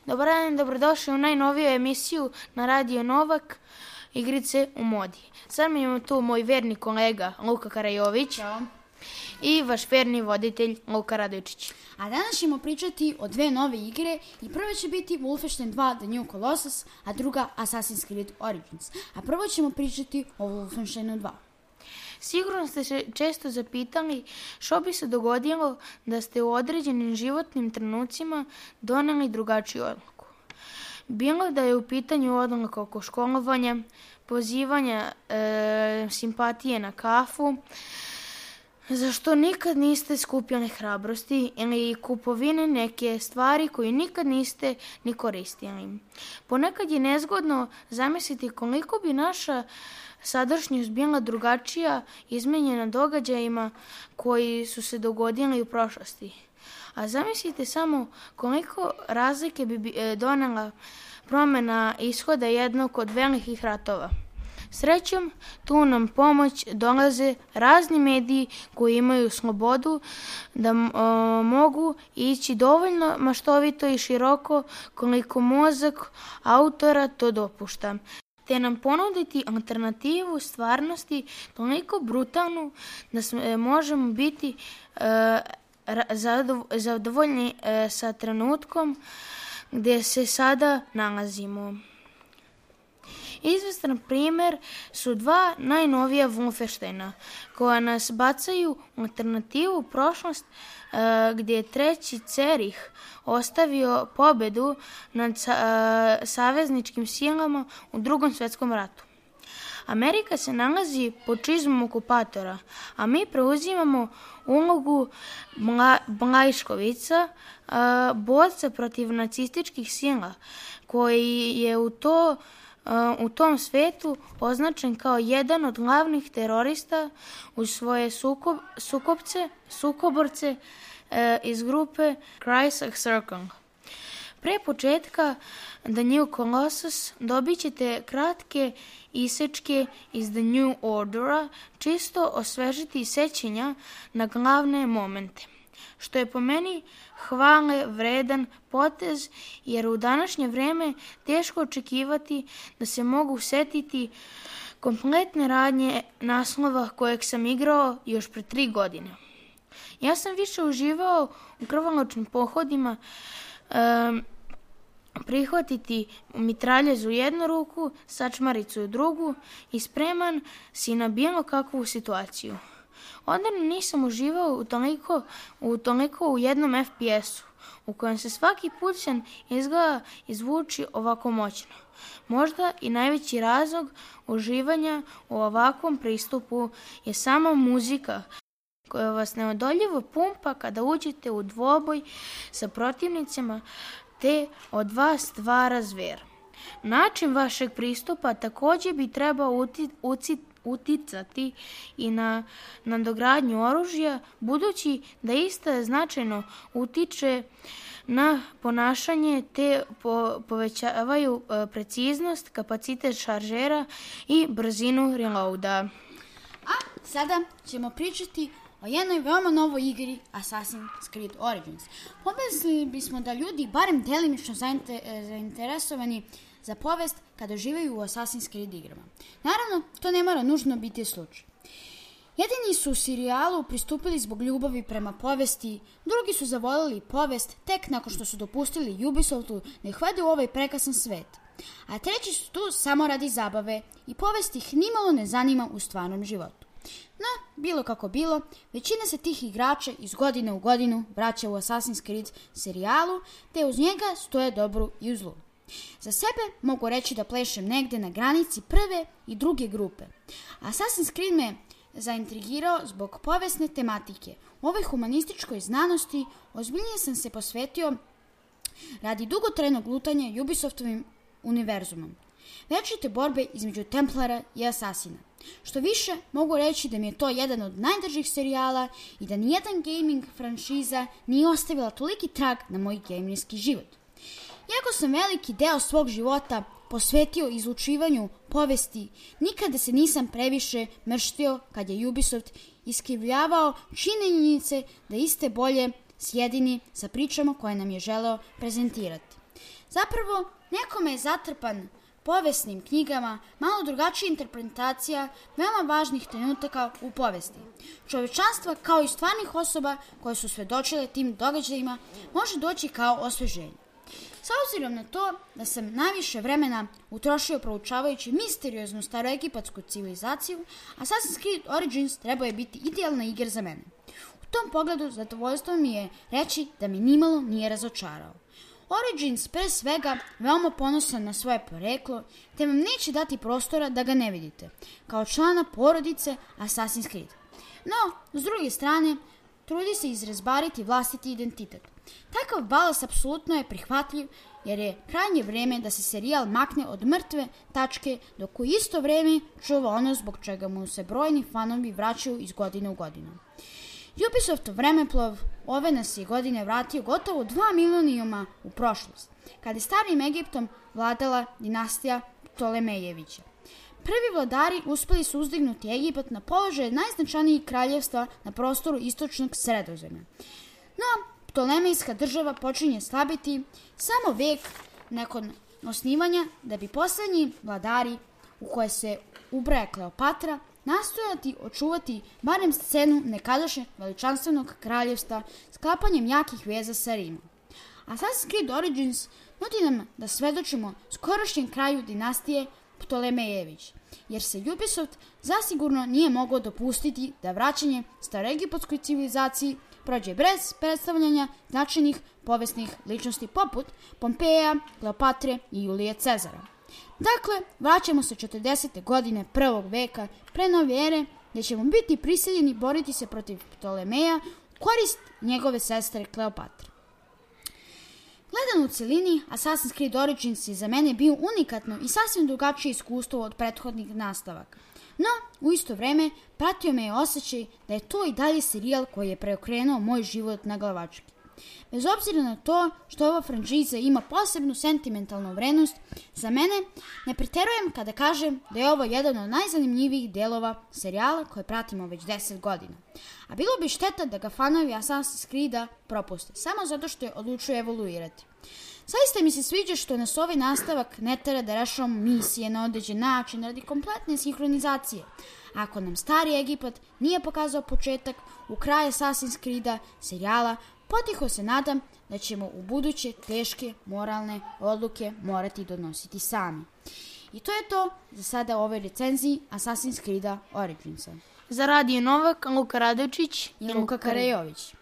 Dobar dan, dobrodošli u najnoviju emisiju na Radio Novak, Igrice u modi. Sad mi imamo tu moj verni kolega Luka Karajović. Ćao. I vaš verni voditelj Luka Radojčić. A danas ćemo pričati o dve nove igre i prva će biti Wolfenstein 2 The New Colossus, a druga Assassin's Creed Origins. A prvo ćemo pričati o Wolfensteinu 2. Sigurno ste se često zapitali što bi se dogodilo da ste u određenim životnim trenucima doneli drugačiju odluku. Bilo da je u pitanju odluka oko školovanja, pozivanja simpatije na kafu, zašto nikad niste skupljali hrabrosti ili kupovine neke stvari koju nikad niste ni koristili. Ponekad je nezgodno zamisliti koliko bi naša sadašnjost bila drugačija, izmenjena događajima koji su se dogodili u prošlosti. A zamislite samo koliko razlike bi donela promjena ishoda jednog od velikih ratova. Srećom, tu nam pomoć dolaze razni mediji koji imaju slobodu da mogu ići dovoljno maštovito i široko koliko mozak autora to dopušta, te nam ponuditi alternativu stvarnosti toliko brutalnu da možemo biti zadovoljni sa trenutkom gdje se sada nalazimo. Izvestan primjer su dva najnovija Wolfensteina koja nas bacaju u alternativu prošlost gdje je treći Cerih ostavio pobedu nad savezničkim silama u Drugom svjetskom ratu. Amerika se nalazi pod čizmom okupatora, a mi preuzimamo ulogu Blajškovica, borca protiv nacističkih sila, koji je u tom svetu označen kao jedan od glavnih terorista uz svoje sukoborce iz grupe Crisis Circle. Pre početka The New Colossus dobit ćete kratke isečke iz The New Ordera, čisto osvežiti sećanja na glavne momente, što je po meni hvale vredan potez, jer u današnje vrijeme teško očekivati da se mogu setiti kompletne radnje naslova kojeg sam igrao još pre 3 godine. Ja sam više uživao u krvoločnim pohodima, prihvatiti mitraljez u jednu ruku, sačmaricu u drugu i spreman si na bilo kakvu situaciju. Odavno nisam uživao toliko u jednom FPS-u, u kojem se svaki pucanj izgleda izvuči ovako moćno. Možda i najveći razlog uživanja u ovakvom pristupu je sama muzika, koja vas neodoljivo pumpa kada uđete u dvoboj sa protivnicima, te od vas stvara zver. Način vašeg pristupa također bi trebao uticati i na nadogradnju oružja, budući da ista značajno utiče na ponašanje te povećavaju preciznost, kapacitet šaržera i brzinu reloada. A sada ćemo pričati o jednoj veoma novoj igri Assassin's Creed Origins. Pomislili bismo da ljudi barem delimično zainteresovani za povest kada živaju u Assassin's Creed igrama. Naravno, to ne mora nužno biti slučaj. Jedini su u serijalu pristupili zbog ljubavi prema povesti, drugi su zavoljeli povest tek nakon što su dopustili Ubisoftu da ih vede u ovaj prekrasan svet. A treći su tu samo radi zabave i povest ih nimalo ne zanima u stvarnom životu. No, bilo kako bilo, većina se tih igrača iz godine u godinu vraća u Assassin's Creed serijalu, te uz njega stoje dobru i u zlu. Za sebe mogu reći da plešem negde na granici prve i druge grupe. Assassin's Creed me zaintrigirao zbog povesne tematike. U ovoj humanističkoj znanosti ozbiljnije sam se posvetio radi dugotrajnog lutanja Ubisoftovim univerzumom. Večite borbe između Templara i Asasina. Što više, mogu reći da mi je to jedan od najdržih serijala i da nijedan gaming franšiza nije ostavila toliki trag na moj gamerski život. Iako sam veliki deo svog života posvetio izlučivanju povesti, nikada se nisam previše mrštio kad je Ubisoft iskrivljavao činjenice da iste bolje sjedini sa pričama koje nam je želeo prezentirati. Zapravo, nekome je zatrpan povesnim knjigama, malo drugačija interpretacija veoma važnih trenutaka u povesti. Čovečanstva, kao i stvarnih osoba koje su svedočile tim događajima, može doći kao osveženje. S obzirom na to da sam najviše vremena utrošio proučavajući misterioznu staroegipatsku civilizaciju, Assassin's Creed Origins trebao je biti idealna igra za mene. U tom pogledu zadovoljstvo mi je reći da mi nimalo nije razočarao. Origins pre svega veoma ponosan na svoje poreklo, te vam neće dati prostora da ga ne vidite, kao člana porodice Assassin's Creed. No, s druge strane, trudi se izrezbariti vlastiti identitet. Takav balans apsolutno je prihvatljiv, jer je krajnje vreme da se serijal makne od mrtve tačke, dok u isto vreme čuva ono zbog čega mu se brojni fanovi vraćaju iz godine u godinu. Ubisoftov vremeplov ove nas je godine vratio gotovo 2 milenijuma u prošlost, kada je starim Egiptom vladala dinastija Ptolemejevića. Prvi vladari uspeli su uzdignuti Egipat na položaj najznačajnijih kraljevstva na prostoru istočnog Sredozemlja. No, Ptolemejska država počinje slabiti samo vek nakon osnivanja, da bi poslednji vladari, u koje se ubraja Kleopatra, nastojati očuvati barem scenu nekadašnjeg veličanstvenog kraljevstva sklapanjem jakih veza sa Rimom. Assassin's Creed Origins nudi nam da svedočimo skorošnjem kraju dinastije Ptolemejević, jer se Ubisoft zasigurno nije mogao dopustiti da vraćanje staroegipatskoj civilizaciji prođe bez predstavljanja značajnih povesnih ličnosti poput Pompeja, Kleopatre i Julije Cezara. Dakle, vraćamo se 40. godine prvog veka pre nove ere, gdje ćemo biti prisiljeni boriti se protiv Ptolemeja u korist njegove sestre Kleopatre. Gledan u celini, Assassin's Creed Origins je za mene bio unikatno i sasvim drugačije iskustvo od prethodnih nastavaka. No, u isto vreme, pratio me je osjećaj da je to i dalje serijal koji je preokrenuo moj život na glavački. Bez obzira na to što ova franšiza ima posebnu sentimentalnu vrednost, za mene ne preterujem kada kažem da je ovo jedan od najzanimljivijih delova serijala koje pratimo već 10 godina. A bilo bi šteta da ga fanovi Assassin's Creed-a propuste, samo zato što je odlučio evoluirati. Zaista mi se sviđa što nas ovaj nastavak ne tera da rešavamo misije na određen način radi kompletne sinhronizacije. Ako nam stari Egipat nije pokazao početak u kraju Assassin's Creed-a serijala, potiho se nadam da ćemo u buduće teške moralne odluke morati donositi sami. I to je to za sada u ovoj recenziji Assassin's Creed Originsa. Za Radio Novak, Luka Radojčić i Luka Karajović.